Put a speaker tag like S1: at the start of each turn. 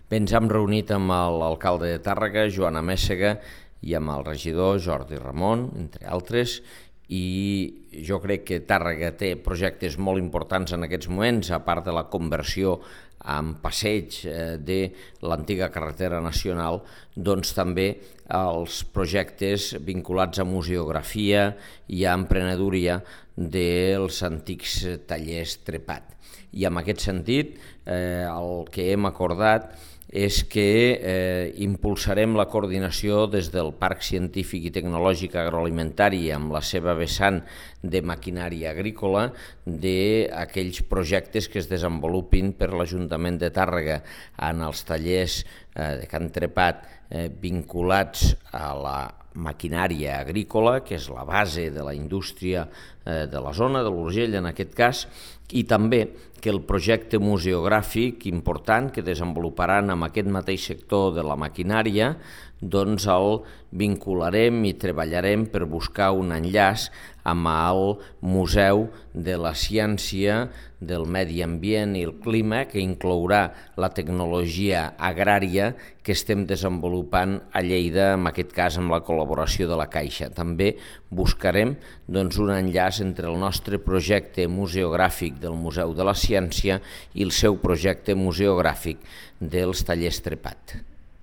S1: Bé, ens hem reunit amb l'alcalde de Tàrrega, Joan Améssega, i amb el regidor Jordi Ramon, entre altres, i jo crec que Tàrrega té projectes molt importants en aquests moments, a part de la conversió amb passeig de l'antiga carretera nacional, doncs també els projectes vinculats a museografia i a emprenedoria dels antics tallers Trepat. I en aquest sentit, el que hem acordat és que impulsarem la coordinació des del Parc Científic i Tecnològic Agroalimentari amb la seva vessant de maquinària agrícola d'aquells projectes que es desenvolupin per l'Ajuntament de Tàrrega en els tallers de Can Trepat vinculats a la maquinària agrícola, que és la base de la indústria de la zona, de l'Urgell en aquest cas, i també que el projecte museogràfic important que desenvoluparan amb aquest mateix sector de la maquinària, doncs el vincularem i treballarem per buscar un enllaç amb el Museu de la Ciència, del Medi Ambient i el Clima, que inclourà la tecnologia agrària que estem desenvolupant a Lleida, en aquest cas amb la col·laboració de la Caixa. També buscarem un enllaç entre el nostre projecte museogràfic del Museu de la Ciència i el seu projecte museogràfic dels tallers Trepat.